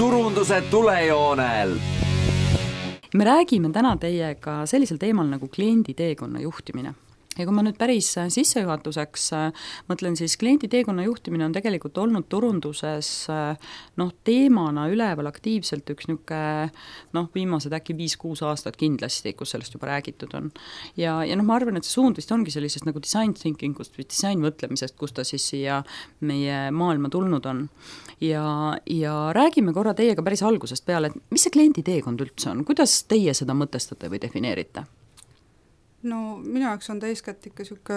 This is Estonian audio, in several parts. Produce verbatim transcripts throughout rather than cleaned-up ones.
turunduse tulejoonel. Me räägime täna teiega sellisel teemal nagu kliendi teekonna juhtimine. Ja kui ma nüüd päris sissejuhatuseks mõtlen, siis kliendi teekonna juhtimine on tegelikult olnud turunduses noh, teemana üleval aktiivselt üks niuke, noh, viimased äkki viis-kuus aastat kindlasti, kus sellest juba räägitud on. Ja, ja noh, ma arvan, et see suund vist ongi sellisest nagu design thinkingust või design mõtlemisest, kus ta siis siia meie maailma tulnud on. Ja, ja räägime korra teiega päris algusest peale, et mis see kliendi teekond üldse on? Kuidas teie seda mõtestate või defineerite? No minu jaoks on ta eeskätt ikka siuke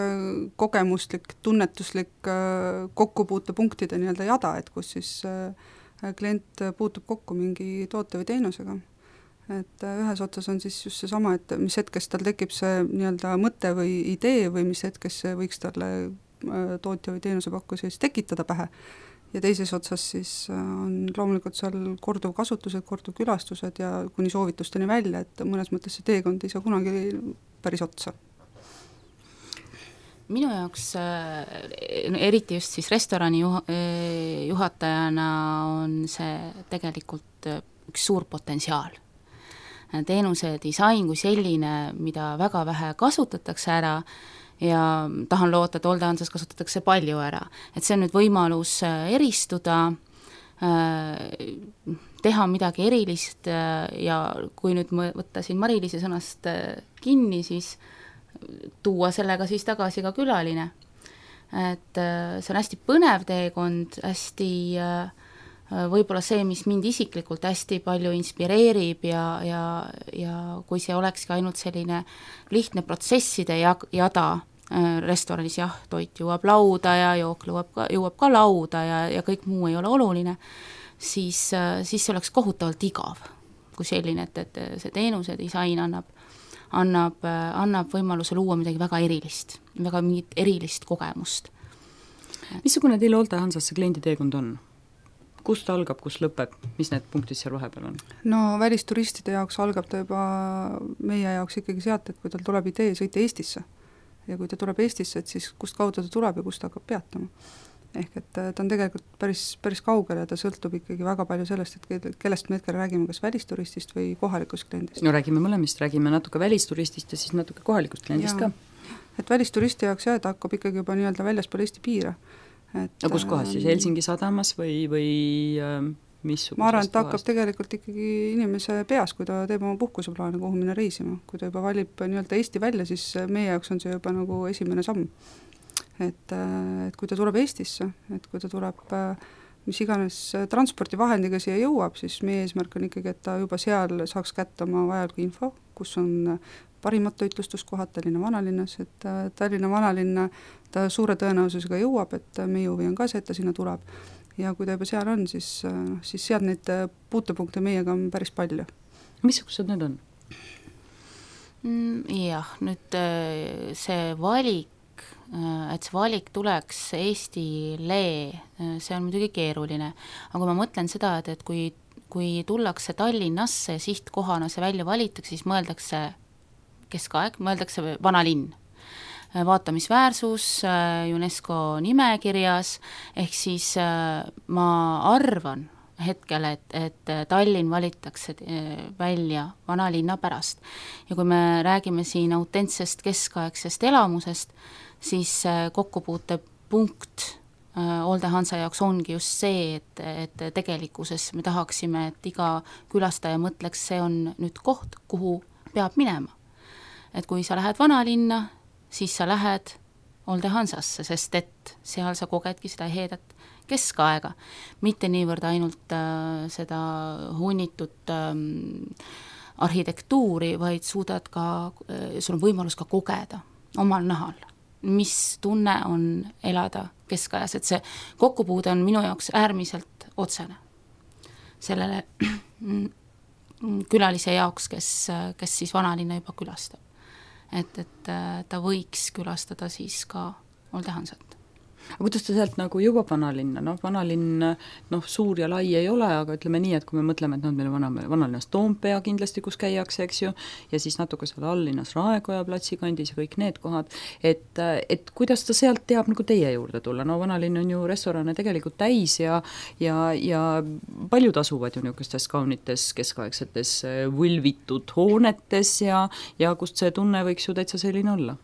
kogemuslik, tunnetuslik kokkupuutepunktide nii-öelda jada, et kus siis klient puutub kokku mingi toote või teenusega. Et ühes otsas on siis just see sama, et mis hetkest tal tekib see nii-öelda mõte või idee või mis hetkest see võiks talle tootja või teenusepakkuja siis tekitada pähe. Ja teises otsas siis on loomulikult seal korduv kasutused, korduv külastused ja kuni soovitusteni välja, et mõnes mõttes see teekond ei saa kunagi päris otsa. Minu jaoks, eriti just siis restorani juhatajana on see tegelikult üks suur potentsiaal. Teenuse disain kui selline, mida väga vähe kasutatakse ära ja tahan loota, et Olde-Hansas kasutatakse palju ära. Et see on nüüd võimalus eristuda, teha midagi erilist ja kui nüüd võtta siin Mari-Liisi sõnast kinni, siis tuua sellega siis tagasi ka külaline. Et see on hästi põnev teekond, hästi võib-olla see, mis mind isiklikult hästi palju inspireerib ja, ja, ja kui see olekski ainult selline lihtne protsesside jada restoranis, jah, toit jõuab lauda ja jook jõuab ka, jõuab ka lauda ja, ja kõik muu ei ole oluline, siis, siis see oleks kohutavalt igav kui selline, et, et see teenuse disain annab, annab, annab võimaluse luua midagi väga erilist, väga mingit erilist kogemust. Missugune teil Olde-Hansas see kliendi teekond on? Kust algab, kus lõpeb, mis need punktid seal vahepeal on? No välisturistide jaoks algab ta juba meie jaoks ikkagi sealt, et kui tal tuleb idee sõita Eestisse ja kui ta tuleb Eestisse, et siis kust kaudu ta tuleb ja kust ta hakkab peatama. Ehk et ta on tegelikult päris, päris kaugel ja ta sõltub ikkagi väga palju sellest, et kellest me hetkel räägime, kas välisturistist või kohalikust kliendist. No räägime mõlemist, räägime natuke välisturistist ja siis natuke kohalikust kliendist ja, ka. Et välisturisti jaoks jah, ta hakkab ikkagi juba nii-öelda väljaspool Eesti piire. Et, no kus kohas siis, Helsingi sadamas või, või äh, missugusest ma arvan, et ta hakkab tegelikult ikkagi inimese peas, kui ta teeb oma puhkuseplaane, kuhu minna reisima. Kui ta juba valib nii-öelda Eesti välja, siis meie jaoks on see juba nagu esimene samm. Et, et kui ta tuleb Eestisse, et kui ta tuleb mis iganes transpordivahendiga siia jõuab, siis meie eesmärk on ikkagi, et ta juba seal saaks kätte oma vajaliku info, kus on parimad toitlustuskohad Tallinna vanalinnas, et Tallinna vanalinna ta suure tõenäosusega jõuab, et meie huvi on ka see, et ta sinna tuleb. Ja kui ta juba seal on, siis, siis sealt neid puutepunkte meiega on päris palju. Missugused need on? Jah, nüüd see valik, et see valik tuleks Eestile, see on muidugi keeruline. Aga kui ma mõtlen seda, et, et kui, kui tullakse Tallinnasse sihtkohana see välja valitaks, siis mõeldakse keskaeg, mõeldakse vanalinn. Vaatamisväärsus UNESCO nimekirjas, ehk siis ma arvan hetkel, et, et Tallinn valitakse välja vanalinna pärast. Ja kui me räägime siin autentsest keskaegsest elamusest, siis kokkupuute punkt Olde-Hansa jaoks ongi just see, et, et tegelikkuses me tahaksime, et iga külastaja mõtleks, see on nüüd koht, kuhu peab minema. Et kui sa lähed vanalinna, siis sa lähed Olde-Hansasse, sest et seal sa kogedki seda heedet keskaega, mitte niivõrd ainult äh, seda hunnitud ähm, arhitektuuri, vaid suudad ka, äh, sul on võimalus ka kogeda omal nahal, mis tunne on elada keskajas, et see kokkupuude on minu jaoks äärmiselt otsene sellele külalise jaoks, kes, kes siis vanalinna juba külastab. Et, et ta võiks külastada siis ka Olde-Hansat. aga kuidas ta sealt nagu jõuab vanalinna, noh vanalinn noh, suur ja lai ei ole, aga ütleme nii, et kui me mõtleme, et noh, meil on vana, vanalinnas Toompea kindlasti, kus käiakse, eks ju, ja siis natuke seal alllinnas Raekoja platsikandis ja kõik need kohad, et, et kuidas ta sealt teab nagu teie juurde tulla, no vanalinn on ju restorane tegelikult täis ja ja, ja paljud asuvad ju niisugustes kaunites keskaegsetes võlvitud hoonetes ja, ja kust see tunne võiks ju täitsa selline olla?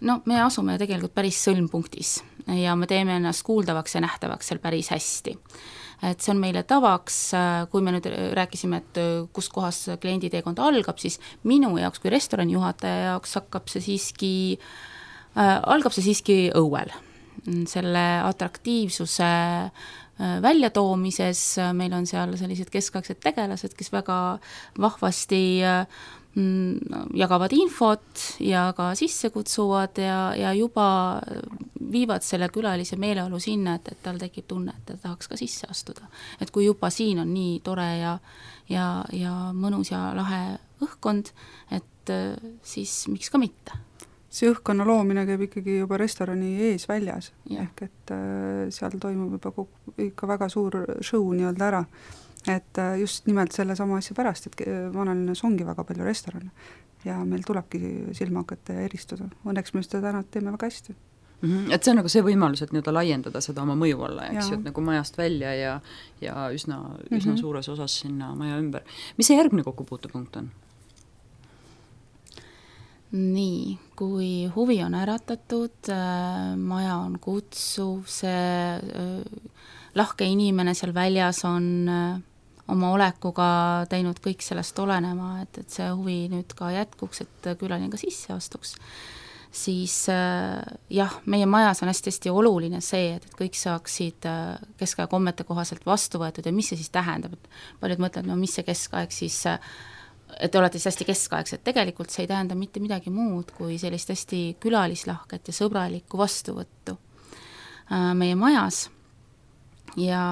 No me asume tegelikult päris sõlmpunktis ja me teeme ennast kuuldavaks ja nähtavaks seal päris hästi. Et see on meile tavaks, kui me nüüd rääkisime, et kus kohas klienditeekond algab, siis minu jaoks kui restorani juhataja jaoks hakkab see siiski, äh, algab see siiski õuel. Selle atraktiivsuse väljatoomises meil on seal sellised keskaegsed tegelased, kes väga vahvasti jagavad infot ja ka sisse kutsuvad ja, ja juba viivad selle külalise meeleolu sinna, et, et tal tekib tunne, et ta tahaks ka sisse astuda. Et kui juba siin on nii tore ja, ja, ja mõnus ja lahe õhkkond, et siis miks ka mitte. See õhkkonna loomine käib ikkagi juba restorani ees väljas, ja. Ehk et äh, seal toimub juba kogu, ikka väga suur show nii-öelda ära. Et just nimelt selle sama asja pärast, et vanalinnas ongi väga palju restorane ja meil tulebki silma hakata ja eristuda. Õnneks me seda täna teeme väga hästi. Mm-hmm. Et see on nagu see võimalus, et nii-öelda laiendada seda oma mõju alla, eks ju, et nagu majast välja ja, ja üsna, üsna mm-hmm. suures osas sinna maja ümber. Mis see järgmine kokkupuutepunkt on? Nii, kui huvi on äratatud, maja on kutsuv, see lahke inimene seal väljas on oma olekuga teinud kõik sellest olenema, et, et see huvi nüüd ka jätkuks, et külaline ka sisse astuks, siis jah, meie majas on hästi-hästi oluline see, et kõik saaksid keskaja kommete kohaselt vastu võetud ja mis see siis tähendab, et paljud mõtlevad, no mis see keskaeg siis, et te olete siis hästi keskaegsed, tegelikult see ei tähenda mitte midagi muud kui sellist hästi külalislahket ja sõbralikku vastuvõttu meie majas. Ja,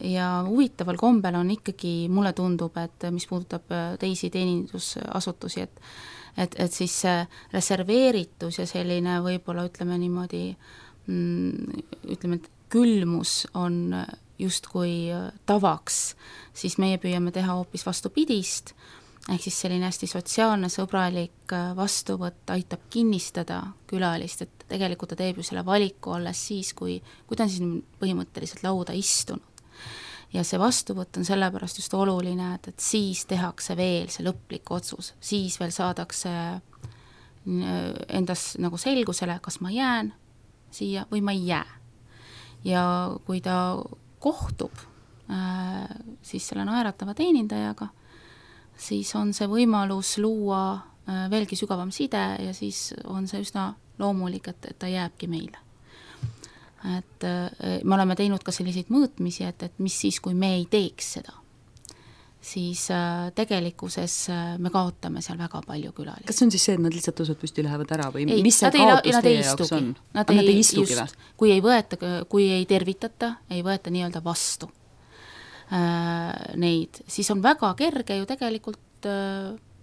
ja huvitaval kombel on ikkagi, mulle tundub, et mis puudutab teisi teenindusasutusi, et, et, et siis reserveeritus ja selline võib-olla ütleme niimoodi, ütleme, et külmus on justkui tavaks, siis meie püüame teha hoopis vastupidist, ehk siis selline hästi sotsiaalne, sõbralik vastuvõtt aitab kinnistada külalist, et tegelikult ta teeb ju selle valiku alles siis, kui, kui ta on siis põhimõtteliselt lauda istunud. Ja see vastuvõtt on sellepärast just oluline, et, et siis tehakse veel see lõplik otsus, siis veel saadakse endas nagu selgusele, kas ma jään siia või ma ei jää. Ja kui ta kohtub äh, siis selle naeratava teenindajaga, siis on see võimalus luua veelgi sügavam side ja siis on see üsna loomulik, et, et ta jääbki meile. Et me oleme teinud ka selliseid mõõtmisi, et, et mis siis, kui me ei teeks seda, siis tegelikkuses me kaotame seal väga palju külalisi. Kas see on siis see, et nad lihtsalt tõusvad püsti lähevad ära või ei, mis see ei, kaotus teie jaoks on? Nad, nad ei, ei istugi või? Kui ei võeta, kui ei tervitata, ei võeta nii-öelda vastu neid, siis on väga kerge ju tegelikult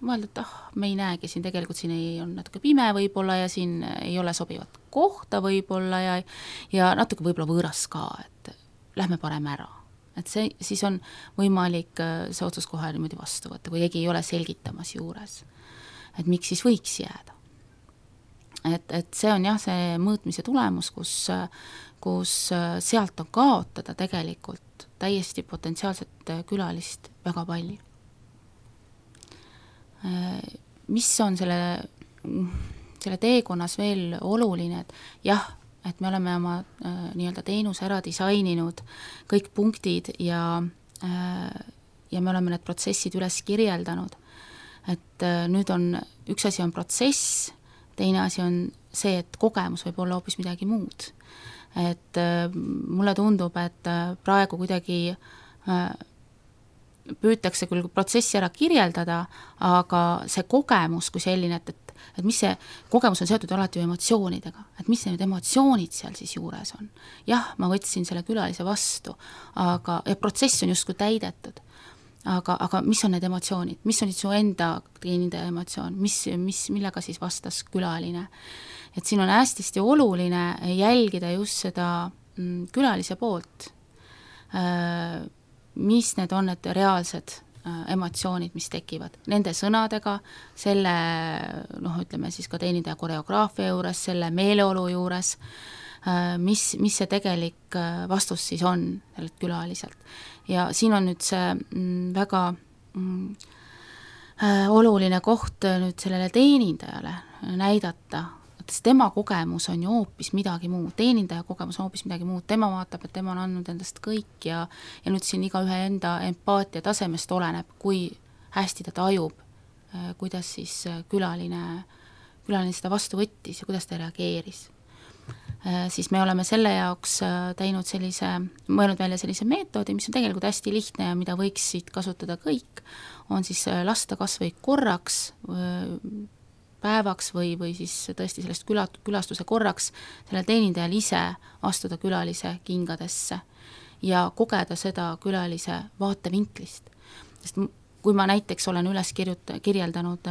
mõelda, et ah, me ei näegi siin, tegelikult siin ei on natuke pime võib-olla ja siin ei ole sobivat kohta võib-olla ja, ja natuke võib-olla võõras ka, et lähme parem ära. Et see, siis on võimalik see otsus kohe niimoodi vastu võtta, kui keegi ei ole selgitamas juures, et miks siis võiks jääda. Et, et see on jah, see mõõtmise tulemus, kus, kus sealt on kaotada tegelikult täiesti potentsiaalset külalist väga palju. Mis on selle, selle teekonnas veel oluline, et jah, et me oleme oma äh, nii-öelda teenuse ära disaininud kõik punktid ja, äh, ja me oleme need protsessid üles kirjeldanud. Et äh, nüüd on, üks asi on protsess, teine asi on see, et kogemus võib olla hoopis midagi muud. Et äh, mulle tundub, et äh, praegu kuidagi äh, püütakse küll protsessi ära kirjeldada, aga see kogemus kui selline, et, et, et mis see kogemus on seotud alati emotsioonidega, et mis need emotsioonid seal siis juures on. Jah, ma võtsin selle külalise vastu, aga ja protsess on justkui täidetud, aga, aga mis on need emotsioonid, mis on su enda teenindaja emotsioon, mis, mis, millega siis vastas külaline. et siin on hästi oluline jälgida just seda külalise poolt, mis need on need reaalsed emotsioonid, mis tekivad nende sõnadega, selle noh, ütleme siis ka teenindaja koreograafia juures, selle meeleolu juures, mis, mis see tegelik vastus siis on sellelt külaliselt. Ja siin on nüüd see väga mm, oluline koht nüüd sellele teenindajale näidata, et tema kogemus on ju hoopis midagi muud, teenindaja kogemus on hoopis midagi muud, tema vaatab, et tema on andnud endast kõik ja, ja nüüd siin iga ühe enda empaatia tasemest oleneb, kui hästi ta tajub, kuidas siis külaline, külaline seda vastu võttis ja kuidas ta reageeris. Siis me oleme selle jaoks teinud sellise, mõelnud välja sellise meetodi, mis on tegelikult hästi lihtne ja mida võiksid kasutada kõik, on siis lasta kas või korraks päevaks või, või siis tõesti sellest küla, külastuse korraks sellel teenindajal ise astuda külalise kingadesse ja kogeda seda külalise vaatevinklist. Sest kui ma näiteks olen üles kirjuta, kirjeldanud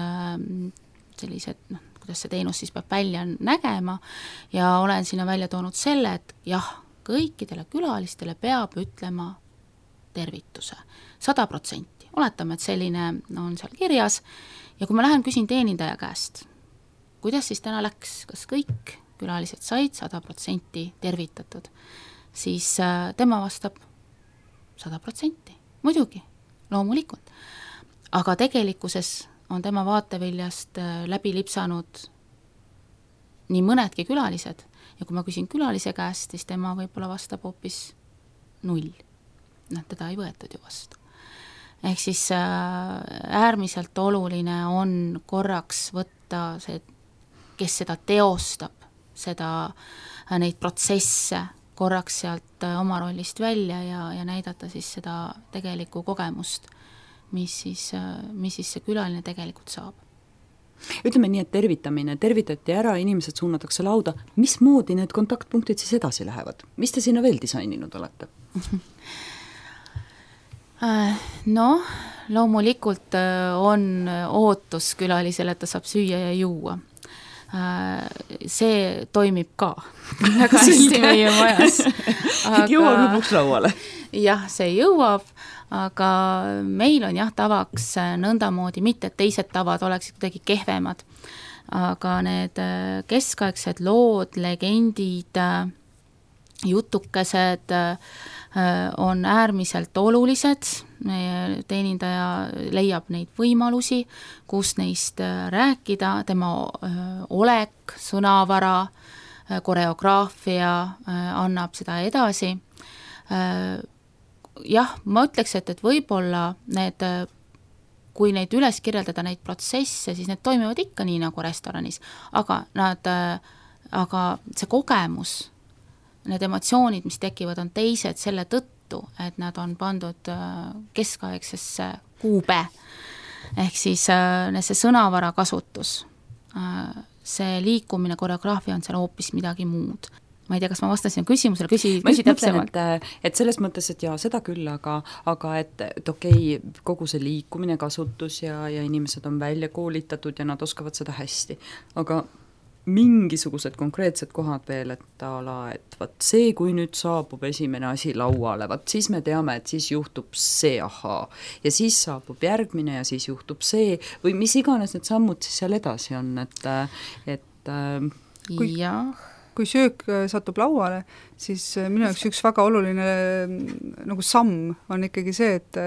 sellised, noh, kuidas see teenus siis peab välja nägema ja olen sinna välja toonud selle, et jah, kõikidele külalistele peab ütlema tervituse, sada protsenti. Oletame, et selline on seal kirjas ja kui ma lähen küsin teenindaja käest, kuidas siis täna läks, kas kõik külalised said sada protsenti tervitatud, siis tema vastab sada protsenti, muidugi, loomulikult. Aga tegelikkuses on tema vaateviljast läbi lipsanud nii mõnedki külalised ja kui ma küsin külalise käest, siis tema võib-olla vastab hoopis null. Noh, teda ei võetud ju vastu. Ehk siis äärmiselt oluline on korraks võtta see, kes seda teostab, seda, neid protsesse korraks sealt oma rollist välja ja, ja näidata siis seda tegelikku kogemust, mis siis, mis siis see külaline tegelikult saab. Ütleme nii, et tervitamine, tervitati ära, inimesed suunatakse lauda, mismoodi need kontaktpunktid siis edasi lähevad? Mis te sinna veel disaininud olete? No, loomulikult on ootus külalisele, et ta saab süüa ja juua. See toimib ka väga hästi meie majas. Aga... jõuab lõpuks lauale. Jah, see jõuab, aga meil on jah tavaks nõndamoodi, mitte et teised tavad oleksid kuidagi kehvemad, aga need keskaegsed lood, legendid, jutukesed on äärmiselt olulised, teenindaja leiab neid võimalusi, kus neist rääkida, tema olek, sõnavara, koreograafia annab seda edasi. Jah, ma ütleks, et, et võib-olla need, kui neid üles kirjeldada neid protsesse, siis need toimivad ikka nii nagu restoranis, aga, nad, aga see kogemus, need emotsioonid, mis tekivad, on teised selle tõttu, et nad on pandud keskaegsesse kuube. Ehk siis see sõnavara kasutus, see liikumine, koreograafia on seal hoopis midagi muud. Ma ei tea, kas ma vastasin küsimusele, küsi, küsi täpsemalt. Et, et selles mõttes, et jaa, seda küll, aga, aga et, et okei, kogu see liikumine, kasutus ja, ja inimesed on välja koolitatud ja nad oskavad seda hästi, aga mingisugused konkreetsed kohad veel, et ala, et vaat see, kui nüüd saabub esimene asi lauale, vaat siis me teame, et siis juhtub see ahaa ja siis saabub järgmine ja siis juhtub see või mis iganes need sammud siis seal edasi on, et, et kui, jah. kui söök satub lauale, siis minu jaoks üks väga oluline nagu samm on ikkagi see, et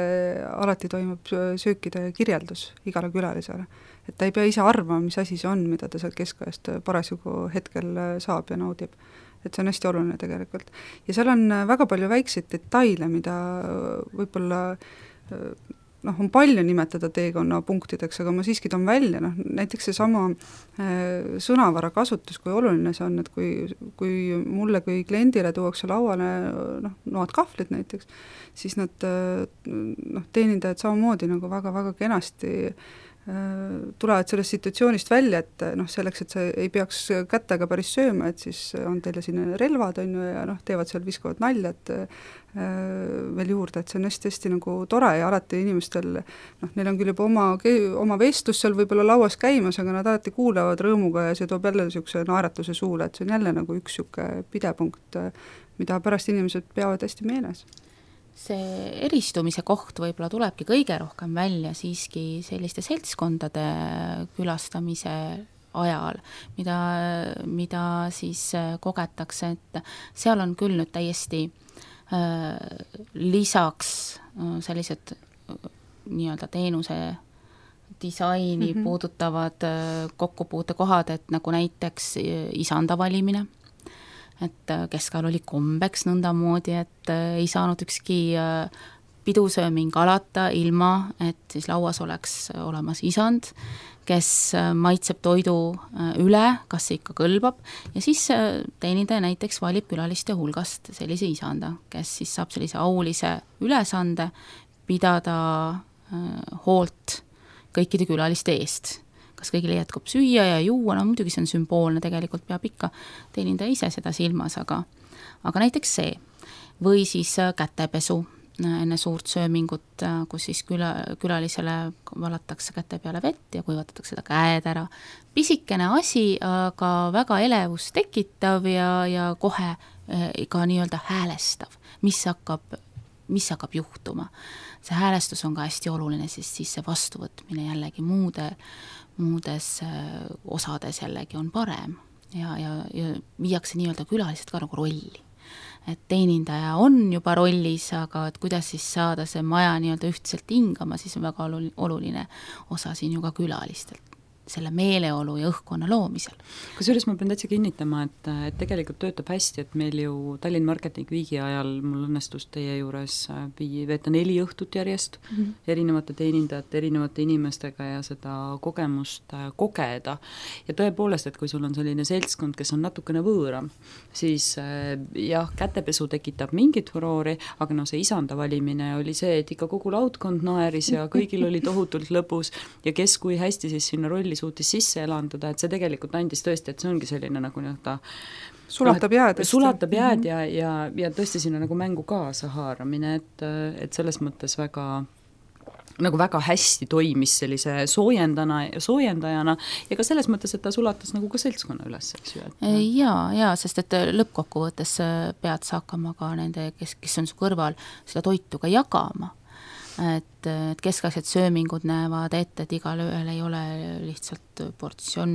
alati toimub söökide kirjeldus igale külalisele. Et ta ei pea ise arvama, mis asi see on, mida ta sealt keskajast parasjagu hetkel saab ja naudib. Et see on hästi oluline tegelikult. Ja seal on väga palju väikseid detaile, mida võib-olla noh, on palju nimetada teekonna punktideks, aga ma siiski toon välja, noh, näiteks see sama sõnavara kasutus, kui oluline see on, et kui, kui mulle kui kliendile tuuakse lauale noh, noad kahvlid näiteks, siis nad noh, teenindajad samamoodi nagu väga-väga kenasti tulevad sellest situatsioonist välja, et noh, selleks, et sa ei peaks kätega päris sööma, et siis on teile siin relvad, on ju, ja noh, teevad seal, viskavad nalja, et veel juurde, et see on hästi-hästi nagu tore ja alati inimestel, noh, neil on küll juba oma, oma vestlus seal võib-olla lauas käimas, aga nad alati kuulavad rõõmuga ja see toob jälle niisuguse naeratuse suule, et see on jälle nagu üks niisugune pidepunkt, mida pärast inimesed peavad hästi meeles. See eristumise koht võib-olla tulebki kõige rohkem välja siiski selliste seltskondade külastamise ajal, mida, mida siis kogetakse, et seal on küll nüüd täiesti äh, lisaks äh, sellised äh, nii-öelda teenuse disaini mm-hmm. puudutavad äh, kokkupuutekohad, et nagu näiteks isanda valimine, et keskajal oli kombeks nõndamoodi, et ei saanud ükski pidusööming alata ilma, et siis lauas oleks olemas isand, kes maitseb toidu üle, kas see ikka kõlbab, ja siis teenindaja näiteks valib külaliste hulgast sellise isanda, kes siis saab sellise aulise ülesande pidada hoolt kõikide külaliste eest. Kas kõigile jätkub süüa ja juua, no muidugi see on sümboolne, tegelikult peab ikka teenindaja ise seda silmas, aga, aga näiteks see. Või siis kätepesu enne suurt söömingut, kus siis küla, külalisele valatakse käte peale vett ja kuivatatakse seda käed ära. Pisikene asi, aga väga elevust tekitav ja, ja kohe ka nii-öelda häälestav, mis hakkab, mis hakkab juhtuma. See häälestus on ka hästi oluline, sest siis see vastuvõtmine jällegi muude muudes osades jällegi on parem ja, ja, ja viiakse nii-öelda külalised ka nagu rolli. Et teenindaja on juba rollis, aga et kuidas siis saada see maja nii-öelda ühtselt hingama, siis on väga oluline osa siin ju ka külalistelt, selle meeleolu ja õhkkonna loomisel. Kusjuures ma pean täitsa kinnitama, et, et tegelikult töötab hästi, et meil ju Tallinn Marketing Weeki ajal mul õnnestus teie juures vii, veeta neli õhtut järjest mm -hmm. erinevate teenindajate, erinevate inimestega ja seda kogemust kogeda. Ja tõepoolest, et kui sul on selline seltskond, kes on natukene võõram, siis jah, kätepesu tekitab mingit furoori, aga no see isanda valimine oli see, et ikka kogu laudkond naeris ja kõigil oli tohutult lõbus ja kes kui hästi siis sinna rolli suutis sisse elanduda, et see tegelikult andis tõesti, et see ongi selline nagu nii-öelda sulatab jääd. Sulatab jääd ja, ja, ja tõesti sinna nagu mängu kaasa haaramine, et, et selles mõttes väga nagu väga hästi toimis sellise soojendana, soojendajana ja ka selles mõttes, et ta sulatas nagu ka seltskonna üles, eks ju. Jaa, jaa, sest et lõppkokkuvõttes pead sa hakkama ka nende, kes, kes on su kõrval, seda toitu ka jagama. Et, et keskaegsed söömingud näevad ette, et igal ööl ei ole lihtsalt portsjon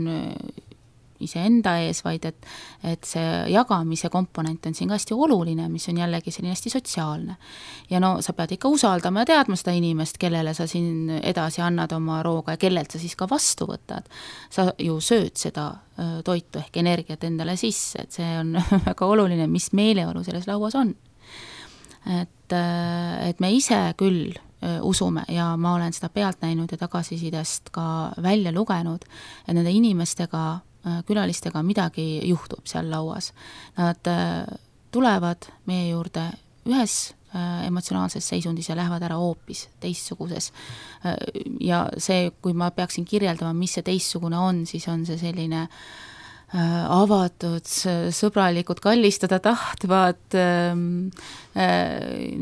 iseenda ees, vaid et, et see jagamise komponent on siin ka hästi oluline, mis on jällegi selline hästi sotsiaalne. Ja no sa pead ikka usaldama ja teadma seda inimest, kellele sa siin edasi annad oma rooga ja kellelt sa siis ka vastu võtad. Sa ju sööd seda toitu ehk energiat endale sisse, et see on väga oluline, mis meeleolu selles lauas on. Et, et me ise küll usume ja ma olen seda pealt näinud ja tagasisidest ka välja lugenud, et nende inimestega, külalistega midagi juhtub seal lauas. Nad tulevad meie juurde ühes emotsionaalses seisundis ja lähevad ära hoopis teistsuguses. Ja see, kui ma peaksin kirjeldama, mis see teistsugune on, siis on see selline avatud, sõbralikud, kallistada tahtvad,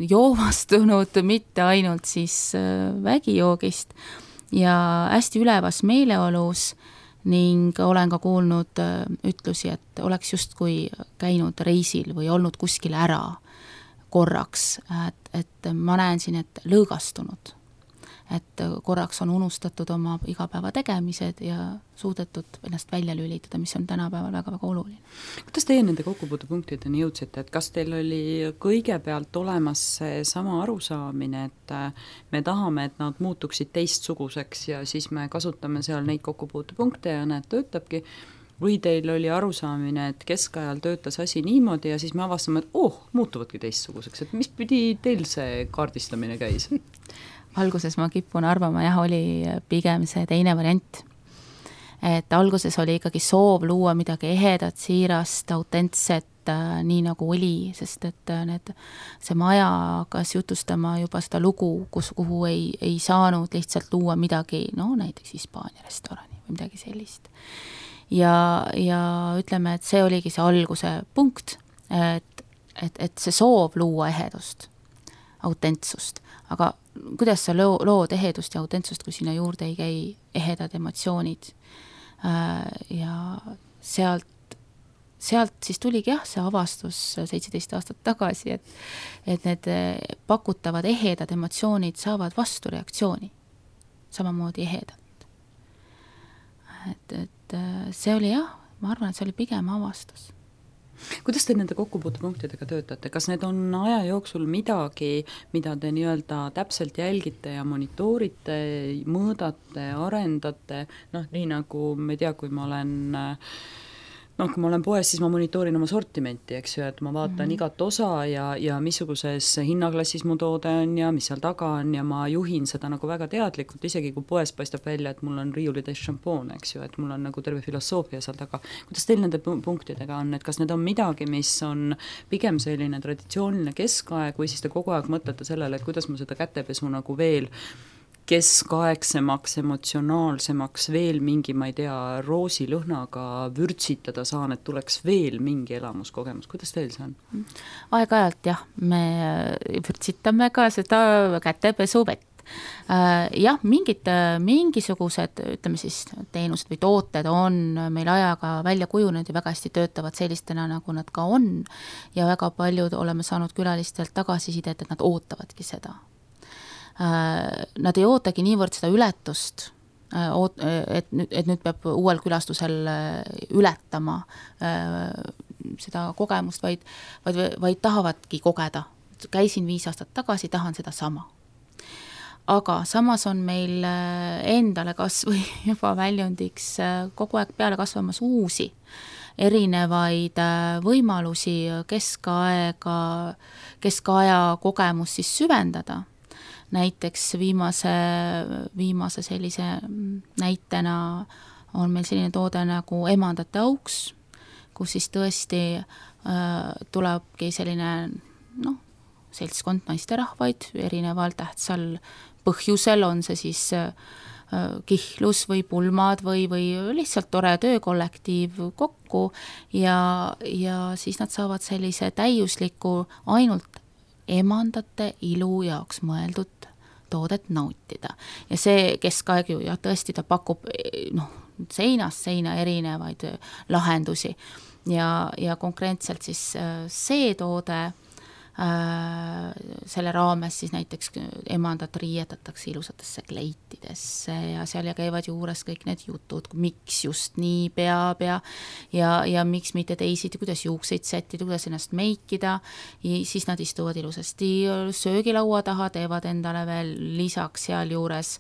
joomastunud, mitte ainult siis vägijoogist ja hästi ülevas meeleolus ning olen ka kuulnud ütlusi, et oleks justkui käinud reisil või olnud kuskil ära korraks, et, et ma näen siin, et lõõgastunud. Et korraks on unustatud oma igapäeva tegemised ja suudetud ennast välja lülitada, mis on tänapäeval väga-väga oluline. Kuidas teie nende kokkupuutepunktideni jõudsite, et kas teil oli kõigepealt olemas see sama arusaamine, et me tahame, et nad muutuksid teistsuguseks ja siis me kasutame seal neid kokkupuutepunkte ja need töötabki, või teil oli arusaamine, et keskajal töötas asi niimoodi ja siis me avastame, et oh, muutuvadki teistsuguseks, et mis pidi teil see kaardistamine käis? Alguses ma kipun arvama, jah, oli pigem see teine variant. Et alguses oli ikkagi soov luua midagi ehedat, siirast, autentset, äh, nii nagu oli, sest et äh, need, see maja hakkas jutustama juba seda lugu, kus, kuhu ei, ei saanud lihtsalt luua midagi, no näiteks Hispaania restorani või midagi sellist. Ja, ja ütleme, et see oligi see alguse punkt, et, et, et see soov luua ehedust, autentsust, aga kuidas sa loo, lood ehedust ja autentsust, kui sinna juurde ei käi ehedad emotsioonid äh, ja sealt sealt siis tuligi jah, see avastus seitseteist aastat tagasi, et, et need pakutavad ehedad emotsioonid saavad vastureaktsiooni, samamoodi ehedalt. Et, et see oli jah, ma arvan, et see oli pigem avastus. Kuidas te nende kokkupuutepunktidega töötate? Kas need on aja jooksul midagi, mida te nii-öelda täpselt jälgite ja monitoorite, mõõdate, arendate? Noh, nii nagu me tea, kui ma olen... noh, kui ma olen poes, siis ma monitoorin oma sortimenti, eks ju, et ma vaatan mm-hmm. igat osa ja, ja missuguses hinnaklassis mu toode on ja mis seal taga on ja ma juhin seda nagu väga teadlikult, isegi kui poes paistab välja, et mul on riiulitäis šampoon, eks ju, et mul on nagu terve filosoofia seal taga. Kuidas teil nende punktidega on, et kas need on midagi, mis on pigem selline traditsiooniline keskaeg või siis te kogu aeg mõtlete sellele, et kuidas ma seda kätepesu nagu veel keskaegsemaks, emotsionaalsemaks, veel mingi, ma ei tea, roosilõhnaga vürtsitada saan, et tuleks veel mingi elamuskogemus. Kuidas teil see on? Aeg-ajalt jah, me vürtsitame ka seda kätepesu vett. Jah, mingid, mingisugused, ütleme siis, teenused või tooted on meil ajaga välja kujunenud ja väga hästi töötavad sellistena, nagu nad ka on ja väga paljud oleme saanud külalistelt tagasisidet, et nad ootavadki seda. Nad ei ootagi niivõrd seda ületust, et nüüd, et nüüd peab uuel külastusel ületama seda kogemust, vaid, vaid, vaid tahavadki kogeda. Käisin viis aastat tagasi, tahan seda sama. Aga samas on meil endale kas või juba väljundiks kogu aeg peale kasvamas uusi erinevaid võimalusi keskaega, keskaja kogemus siis süvendada. Näiteks viimase, viimase sellise näitena on meil selline toode nagu emandate auks, kus siis tõesti äh, tulebki selline noh, seltskond naisterahvaid erineval tähtsal põhjusel, on see siis äh, kihlus või pulmad või, või lihtsalt tore töökollektiiv kokku ja, ja siis nad saavad sellise täiusliku ainult emandate ilu jaoks mõeldud toodet nautida. Ja see keskaeg ju ja tõesti ta pakub noh, seinast seina erinevaid lahendusi ja, ja konkreetselt siis see toode äh, selle raames siis näiteks emandat riietatakse ilusatesse kleitidesse ja seal ja käivad juures kõik need jutud, miks just nii peab ja, ja, ja miks mitte teisiti, kuidas juukseid sättida, kuidas ennast meikida ja siis nad istuvad ilusasti söögilaua taha, teevad endale veel lisaks seal juures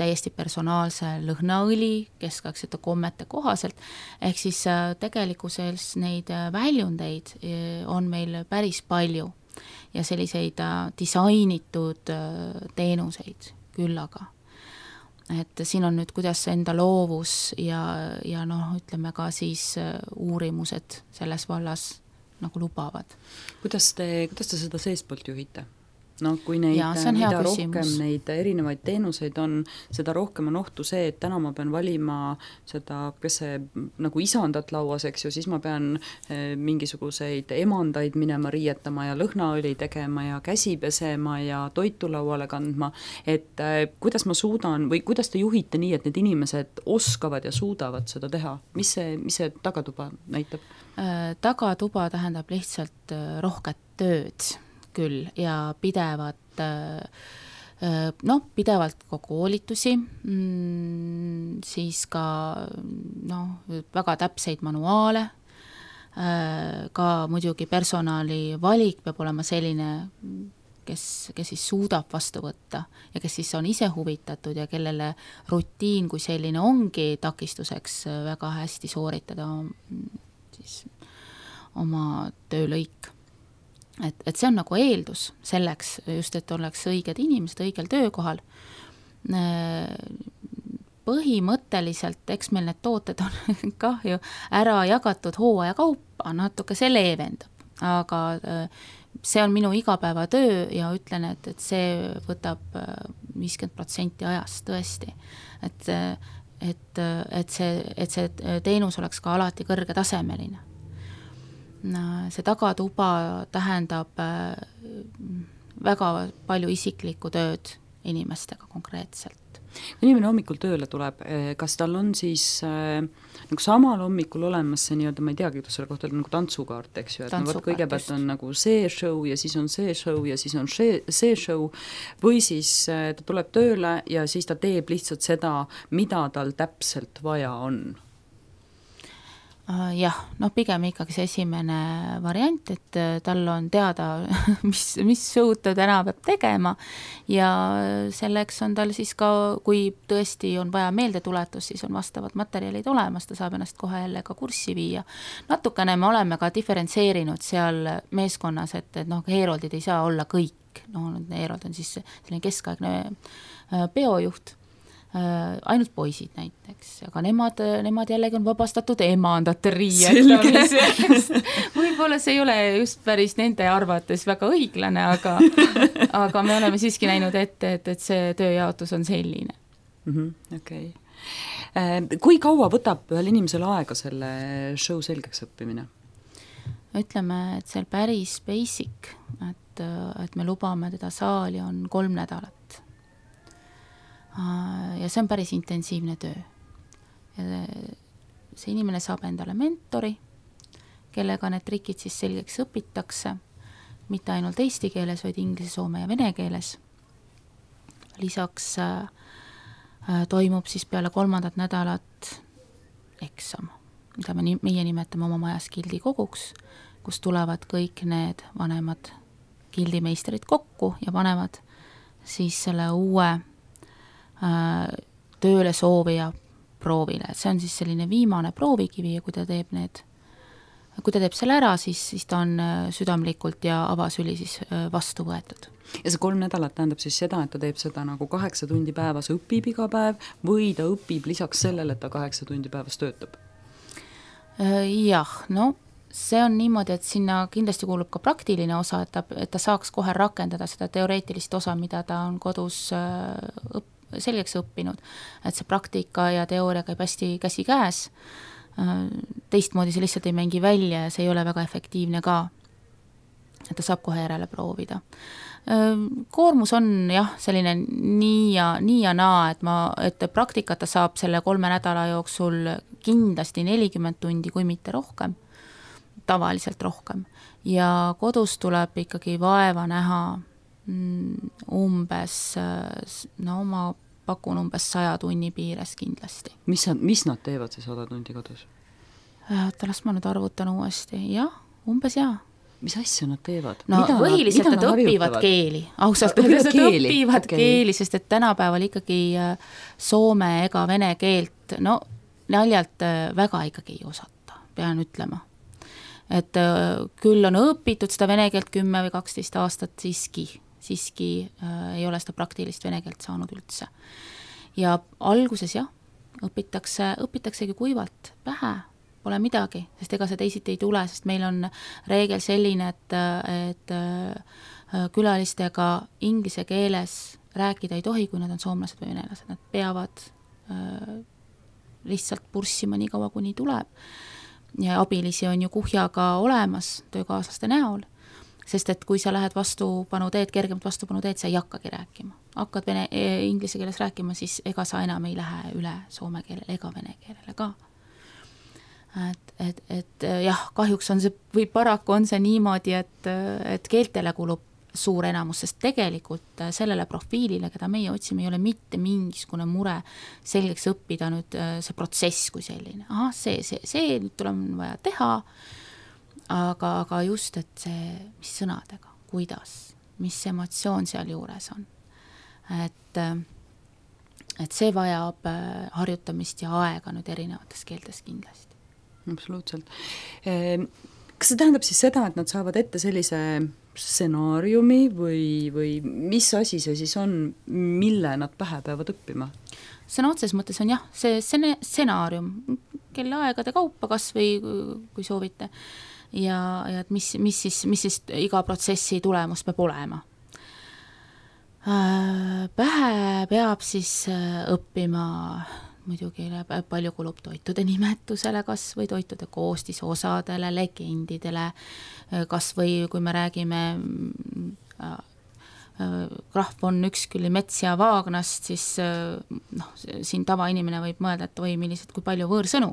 täiesti personaalse lõhnaõli keskaegsete kommete kohaselt, ehk siis tegelikkuses neid väljundeid on meil päris palju ja selliseid disainitud teenuseid küllaga. Et siin on nüüd, kuidas enda loovus ja, ja noh, ütleme ka siis uurimused selles vallas nagu lubavad. Kuidas te, kuidas te seda seestpoolt juhite? No, kui neid, ja, mida rohkem neid erinevaid teenuseid on, seda rohkem on ohtu see, et täna ma pean valima seda, kes see nagu isandat lauas, eks ju, siis ma pean mingisuguseid emandaid minema riietama ja lõhnaõli tegema ja käsi pesema ja toitu lauale kandma, et kuidas ma suudan või kuidas te juhite nii, et need inimesed oskavad ja suudavad seda teha? Mis see, mis see tagatuba näitab? Tagatuba tähendab lihtsalt rohket tööd küll ja pidevat noh, pidevalt ka koolitusi, siis ka noh, väga täpseid manuaale, ka muidugi personali valik peab olema selline, kes, kes siis suudab vastu võtta ja kes siis on ise huvitatud ja kellele rutiin kui selline ongi takistuseks väga hästi sooritada siis oma töölõik. Et, et see on nagu eeldus selleks just, et oleks õiged inimesed õigel töökohal. põhimõtteliselt, eks meil need tooted on kah ju ära jagatud hooaja kaupa, natuke see leevendab, aga see on minu igapäevatöö ja ütlen, et, et see võtab viiskümmend protsenti ajast tõesti, et, et, et, see, et see teenus oleks ka alati kõrgetasemeline. See tagatuba tähendab väga palju isiklikku tööd inimestega konkreetselt. Inimene hommikul tööle tuleb, kas tal on siis äh, nagu samal hommikul olemas see nii-öelda, ma ei teagi, kuidas selle kohta on nagu tantsukaart, eks ju, et no, kõigepealt on nagu see show ja siis on see show ja siis on see, see show või siis äh, ta tuleb tööle ja siis ta teeb lihtsalt seda, mida tal täpselt vaja on? Jah, noh pigem ikkagi see esimene variant, et tal on teada, mis, mis show'd ta täna peab tegema ja selleks on tal siis ka, kui tõesti on vaja meeldetuletus, siis on vastavad materjalid olemas, ta saab ennast kohe jälle ka kurssi viia. Natukene me oleme ka diferentseerinud seal meeskonnas, et, et noh, Heeroldid ei saa olla kõik, no Heerold on siis selline keskaegne peojuht, ainult poisid näiteks, aga nemad, nemad jällegi on vabastatud emandate riietamisest. Võib-olla see ei ole just päris nende arvates väga õiglane, aga, aga me oleme siiski näinud ette, et, et see tööjaotus on selline. Mm-hmm, okay. Kui kaua võtab ühel inimesel aega selle show selgeks õppimine? Ütleme, et see on päris basic, et, et me lubame teda saali on kolm nädalat. Ja see on päris intensiivne töö. See inimene saab endale mentori, kellega need trikid siis selgeks õpitakse, mitte ainult eesti keeles, vaid inglise, soome ja vene keeles. Lisaks äh, toimub siis peale kolmandat nädalat eksam, mida me meie nimetame oma majas gildikoguks, kus tulevad kõik need vanemad gildimeistrid kokku ja panevad siis selle uue tööle soovija proovile. See on siis selline viimane proovikivi ja kui ta teeb need, kui ta teeb selle ära, siis, siis ta on südamlikult ja avasüli siis vastu võetud. Ja see kolm nädalat tähendab siis seda, et ta teeb seda nagu kaheksa tundi päevas õpib iga päev või ta õpib lisaks sellele, et ta kaheksa tundi päevas töötab? Jah, no see on niimoodi, et sinna kindlasti kuulub ka praktiline osa, et ta, et ta saaks kohe rakendada seda teoreetilist osa, mida ta on kodus õppinud, selgeks õppinud, et see praktika ja teooria käib hästi käsi käes, teistmoodi see lihtsalt ei mängi välja ja see ei ole väga efektiivne ka, et ta saab kohe järele proovida. Koormus on jah, selline nii ja, nii ja naa, et, ma, et praktikata saab selle kolme nädala jooksul kindlasti nelikümmend tundi, kui mitte rohkem, tavaliselt rohkem, ja kodus tuleb ikkagi vaeva näha umbes, no ma pakun umbes saja tunni piires kindlasti. Mis, mis nad teevad see sada tundi kodus? Oota, las ma nüüd arvutan uuesti. Jah, umbes jah. Mis asja nad teevad? No mida põhiliselt nad, nad õpivad keeli. Ausalt, nad keeli. õpivad okay. keeli, sest et tänapäeval ikkagi soome ega vene keelt, no naljalt väga ikkagi ei osata, pean ütlema. Et küll on õpitud seda vene keelt kümme või kaksteist aastat siiski, siiski äh, ei ole seda praktilist vene keelt saanud üldse. Ja alguses jah, õpitakse, õpitaksegi kuivalt pähe, pole midagi, sest ega see teisiti ei tule, sest meil on reegel selline, et, et äh, külalistega inglise keeles rääkida ei tohi, kui nad on soomlased või venelased, nad peavad äh, lihtsalt purssima nii kaua, kuni tuleb. Ja abilisi on ju kuhjaga olemas töökaaslaste näol, sest et kui sa lähed vastupanu teed, kergemat vastupanu teed, sa ei hakkagi rääkima. Hakkad vene, inglise keeles rääkima, siis ega sa enam ei lähe üle soome keelele ega vene keelele ka. Et, et, et jah, kahjuks on see, või paraku on see niimoodi, et, et keeltele kulub suur enamus, sest tegelikult sellele profiilile, keda meie otsime, ei ole mitte mingisugune mure selgeks õppida nüüd see protsess kui selline. Aha, see, see, see nüüd tuleb vaja teha, aga, aga just, et see, mis sõnadega, kuidas, mis emotsioon seal juures on. Et, et see vajab harjutamist ja aega nüüd erinevates keeltes kindlasti. Absoluutselt. kas see tähendab siis seda, et nad saavad ette sellise stsenaariumi või, või mis asi see siis on, mille nad pähe peavad õppima? Sõna otses mõttes on jah, see stsenaarium, kelle aegade kaupa kas või kui soovite ja, ja et mis, mis, siis, mis siis iga protsessi tulemus peab olema. Pähe peab siis õppima muidugi palju kulub toitude nimetusele, kas või toitude koostisosadele, legendidele, kas või kui me räägime Graf von Uexkülli Mets ja Vaagnast, siis noh, siin tavainimene võib mõelda, et või millised, kui palju võõrsõnu,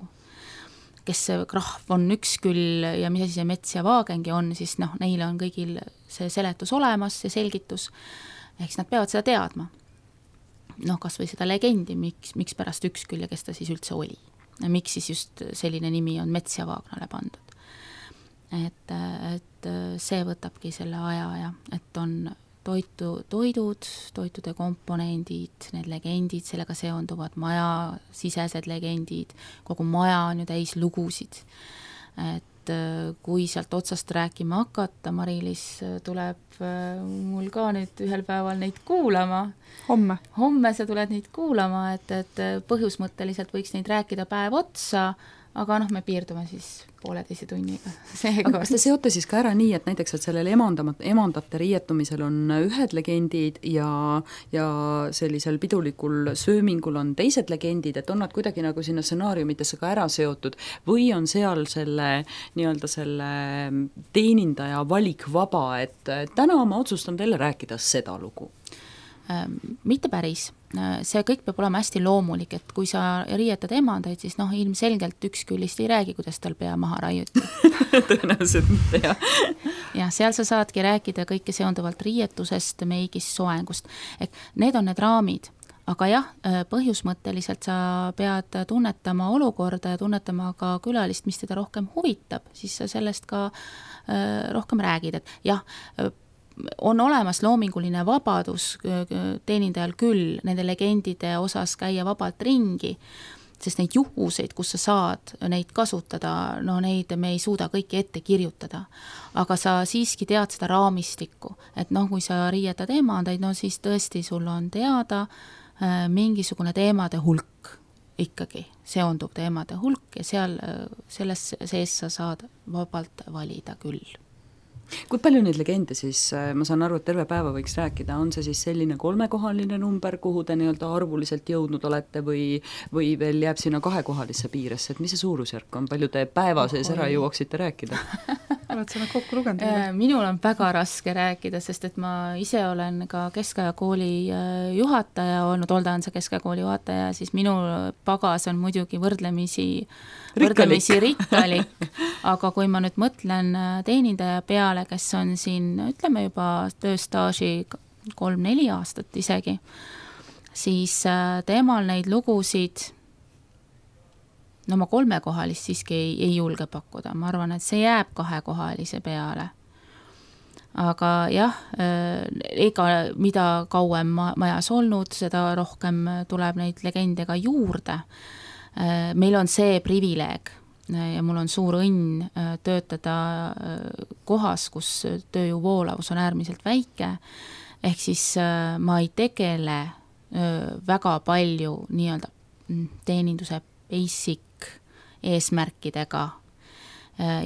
kes Graf von Uexküll ja mis asi see Mets ja Vaagengi on, siis noh, neile on kõigil see seletus olemas, see selgitus, ehk siis nad peavad seda teadma. Noh, kas või seda legendi, miks, miks pärast Uexküll ja kes ta siis üldse oli. Ja miks siis just selline nimi on Mets ja Vaagnale pandud. Et, et see võtabki selle aja ja et on toitu, toidud, toitude komponendid, need legendid, sellega seonduvad maja sisesed legendid, kogu maja on ju täis lugusid. Et kui sealt otsast rääkima hakata, Mari-Liis tuleb mul ka nüüd ühel päeval neid kuulama. Homme. Homme sa tuled neid kuulama, et, et põhjusmõtteliselt võiks neid rääkida päev otsa, aga noh, me piirdume siis pooleteise tunniga. Seega. Aga kas te seote siis ka ära nii, et näiteks, et sellel emandamat, emandate riietumisel on ühed legendid ja, ja sellisel pidulikul söömingul on teised legendid, et on nad kuidagi nagu sinna stsenaariumitesse ka ära seotud või on seal selle nii-öelda selle teenindaja valik vaba, et täna ma otsustan teile rääkida seda lugu? Mitte päris. See kõik peab olema hästi loomulik, et kui sa riietad emandaid, siis noh, ilmselgelt Uexküllist ei räägi, kuidas tal pea maha raiuti. Tõenäoliselt mitte, jah. Ja seal sa saadki rääkida kõike seonduvalt riietusest, meigist, soengust. Et need on need raamid, aga jah, põhjusmõtteliselt sa pead tunnetama olukorda ja tunnetama ka külalist, mis teda rohkem huvitab, siis sa sellest ka rohkem räägid, et jah, on olemas loominguline vabadus teenindajal küll nende legendide osas käia vabalt ringi, sest neid juhuseid, kus sa saad neid kasutada, no neid me ei suuda kõiki ette kirjutada. Aga sa siiski tead seda raamistikku, et noh, kui sa riietad emandaid, no siis tõesti sul on teada mingisugune teemade hulk ikkagi, seonduv teemade hulk ja seal, selles sees sa saad vabalt valida küll. Kui palju neid legende siis, ma saan aru, et terve päeva võiks rääkida, on see siis selline kolmekohaline number, kuhu te nii-öelda arvuliselt jõudnud olete või, või veel jääb sinna kahekohalisse piiresse, et mis see suurusjärk on, palju te päeva sees ära jõuaksite rääkida? Oled sa kokku lugenud? Minul on väga raske rääkida, sest et ma ise olen ka keskajakooli juhataja olnud, Oldanse keskajakooli juhataja, siis minu pagas on muidugi võrdlemisi võrdlemisi rikkalik, aga kui ma nüüd mõtlen teenindaja peale, kes on siin, ütleme juba tööstaaži kolm-neli aastat isegi, siis teemal neid lugusid, no ma kolmekohalist siiski ei, ei julge pakkuda, ma arvan, et see jääb kahekohalise peale. Aga jah, ega mida kauem majas olnud, seda rohkem tuleb neid legende ka juurde. Meil on see privileeg ja mul on suur õnn töötada kohas, kus tööjõu voolavus on äärmiselt väike, ehk siis ma ei tegele väga palju nii-öelda teeninduse basic eesmärkidega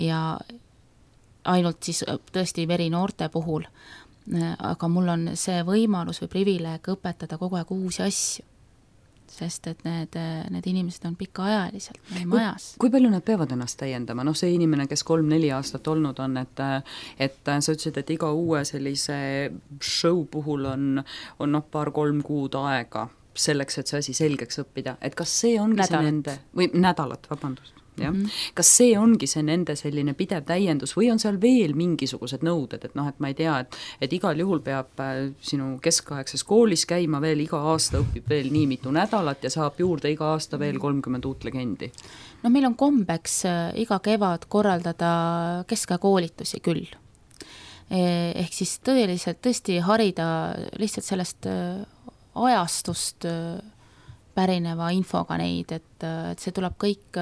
ja ainult siis tõesti verinoorte puhul, aga mul on see võimalus või privileeg õpetada kogu aeg uusi asju. Sest et need, need inimesed on pikaajaliselt meie majas. Kui, kui palju nad peavad ennast täiendama? Noh, see inimene, kes kolm-neli aastat olnud on, et, et sa ütlesid, et iga uue sellise show puhul on, on noh, paar-kolm kuud aega selleks, et see asi selgeks õppida. Et kas see ongi nädalat. See nende, või nädalat, vabandust. jah. Mm-hmm. Kas see ongi see nende selline pidev täiendus või on seal veel mingisugused nõuded, et noh, et ma ei tea, et, et igal juhul peab sinu keskaegses koolis käima veel iga aasta, õpib veel nii mitu nädalat ja saab juurde iga aasta veel kolmkümmend uut legendi? No meil on kombeks iga kevad korraldada keskajakoolitusi küll. Ehk siis tõeliselt tõesti harida lihtsalt sellest ajastust pärineva infoga neid, et, et see tuleb kõik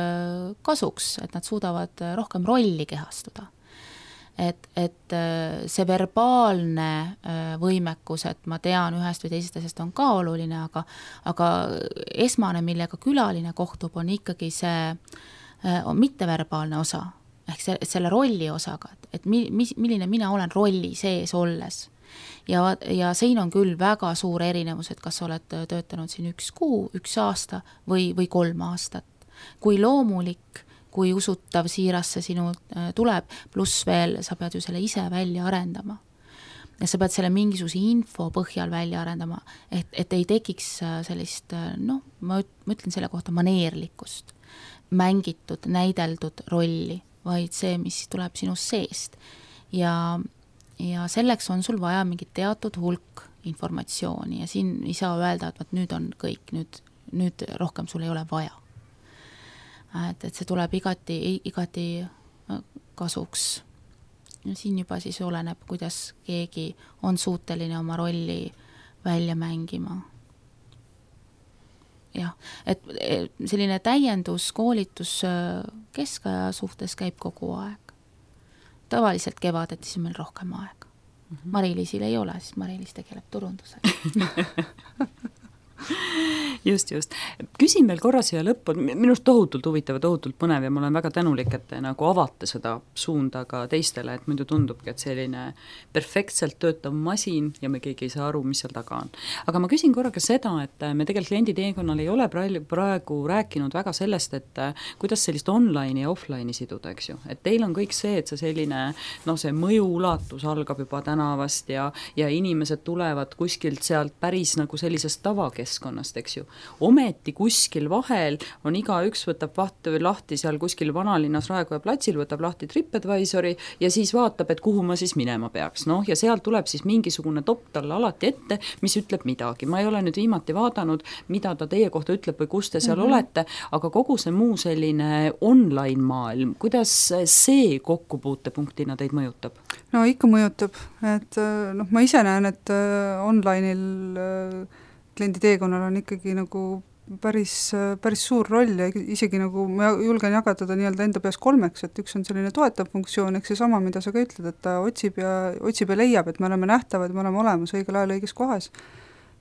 kasuks, et nad suudavad rohkem rolli kehastuda. et, et see verbaalne võimekus, et ma tean ühest või teisest asjast on ka oluline, aga, aga esmane, millega külaline kohtub, on ikkagi see on mitteverbaalne osa, ehk see, selle rolli osaga, et, et mi, milline mina olen rolli sees olles. Ja, ja siin on küll väga suur erinevus, et kas oled töötanud siin üks kuu, üks aasta või, või kolm aastat. Kui loomulik, kui usutav siiras see sinu tuleb, pluss veel sa pead ju selle ise välja arendama. Ja sa pead selle mingisuguse info põhjal välja arendama, et, et ei tekiks sellist, noh, ma ütlen selle kohta maneerlikkust, mängitud, näideldud rolli, vaid see, mis tuleb sinust seest. Ja ja selleks on sul vaja mingit teatud hulk informatsiooni ja siin ei saa öelda, et võt, nüüd on kõik, nüüd, nüüd rohkem sul ei ole vaja. Et, et see tuleb igati, igati kasuks. Ja siin juba siis oleneb, kuidas keegi on suuteline oma rolli välja mängima. Jah, et selline täiendus, koolitus keskaja suhtes käib kogu aeg. Tavaliselt kevadeti siis meil rohkem aega. Mm-hmm. Mari-Liisil ei ole, siis Mari-Liis tegeleb turundusega. Just, just. Küsin veel korra siia lõppu, minust tohutult huvitav ja tohutult põnev ja ma olen väga tänulik, et te nagu avate seda suunda ka teistele, et muidu tundubki, et selline perfektselt töötav masin ja me keegi ei saa aru, mis seal taga on. Aga ma küsin korra ka seda, et me tegelikult klienditeekonnal ei ole praegu rääkinud väga sellest, et kuidas sellist online'i ja offline'i siduda, eks ju. Et teil on kõik see, et see selline, no see mõju ulatus algab juba tänavast ja, ja inimesed tulevad kuskilt sealt päris nagu sellisest tavakeskkonnast, eks ju. Ometi kuskil vahel on iga üks võtab vaht, lahti seal kuskil vanalinnas Raekoja platsil, võtab lahti TripAdvisori ja siis vaatab, et kuhu ma siis minema peaks. No, ja seal tuleb siis mingisugune top talle alati ette, mis ütleb midagi. Ma ei ole nüüd viimati vaadanud, mida ta teie kohta ütleb või kus te seal mm-hmm. olete, aga kogu see muu selline online maailm, kuidas see kokkupuutepunktina teid mõjutab? No ikka mõjutab, et noh, ma ise näen, et online'il kliendi teekonnal on ikkagi nagu päris, päris suur roll ja isegi nagu ma julgen jagada nii-öelda enda peas kolmeks, et üks on selline toetav funktsioon, eks see sama, mida sa ka ütled, et ta otsib ja, otsib ja leiab, et me oleme nähtavad, me oleme olemas õigel ajal õiges kohas.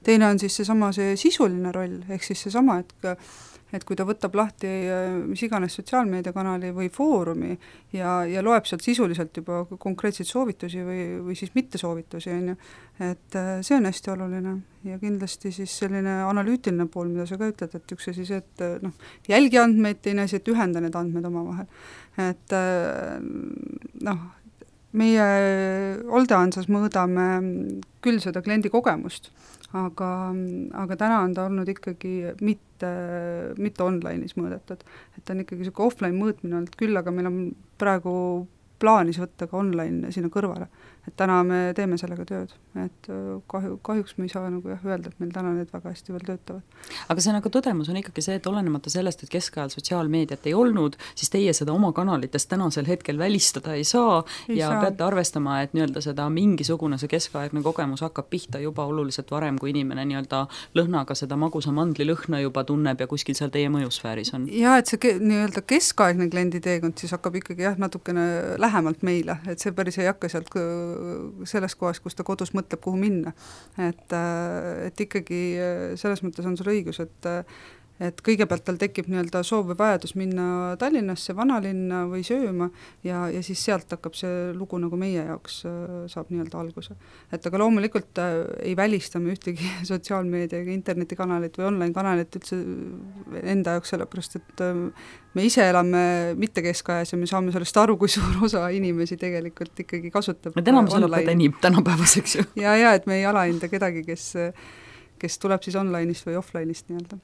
Teine on siis seesama see sisuline roll, ehk siis seesama, et et kui ta võtab lahti mis iganes sotsiaalmeediakanali või foorumi ja, ja loeb sealt sisuliselt juba konkreetseid soovitusi või, või siis mitte soovitusi, on ju, et see on hästi oluline ja kindlasti siis selline analüütiline pool, mida sa ka ütled, et üks asi see, et noh, jälgi andmeid, teine asi, et ühenda need andmed omavahel. Et noh, meie Oldeansas mõõdame küll seda kliendi kogemust, aga, aga täna on ta olnud ikkagi mitte, mitte online'is mõõdetud, et ta on ikkagi selline offline mõõtmine olnud küll, aga meil on praegu plaanis võtta ka online sinna kõrvale, et täna me teeme sellega tööd, et kahju, kahjuks me ei saa nagu jah öelda, et meil täna need väga hästi veel töötavad. Aga see nagu tõdemus on ikkagi see, et olenemata sellest, et keskajal sotsiaalmeediat ei olnud, siis teie seda oma kanalitest tänasel hetkel välistada ei saa ei ja saa. Peate arvestama, et nii-öelda seda mingisugune see keskaegne kogemus hakkab pihta juba oluliselt varem, kui inimene nii-öelda lõhnaga seda magusa mandli lõhna juba tunneb ja kuskil seal teie mõjusfääris on. Ja et see nii-öelda keskaegne kliendi teekond siis hakkab ikkagi jah, natukene lähemalt meile, et see päris ei hakka sealt selles kohas, kus ta kodus mõtleb, kuhu minna. Et, et ikkagi selles mõttes on sul õigus, et et kõigepealt tal tekib nii-öelda soov või vajadus minna Tallinnasse, vanalinna või sööma ja, ja siis sealt hakkab see lugu nagu meie jaoks saab nii-öelda alguse. Et aga loomulikult ei välistame ühtegi sotsiaalmeedia ega internetikanalit või online-kanalit üldse enda jaoks, sellepärast et me ise elame mitte keskajas ja me saame sellest aru, kui suur osa inimesi tegelikult ikkagi kasutab. Me tänamus elab enim tänapäevaseks ju. Ja, ja, et me ei alahinda kedagi, kes kes tuleb siis online'ist või offline'ist nii-öelda.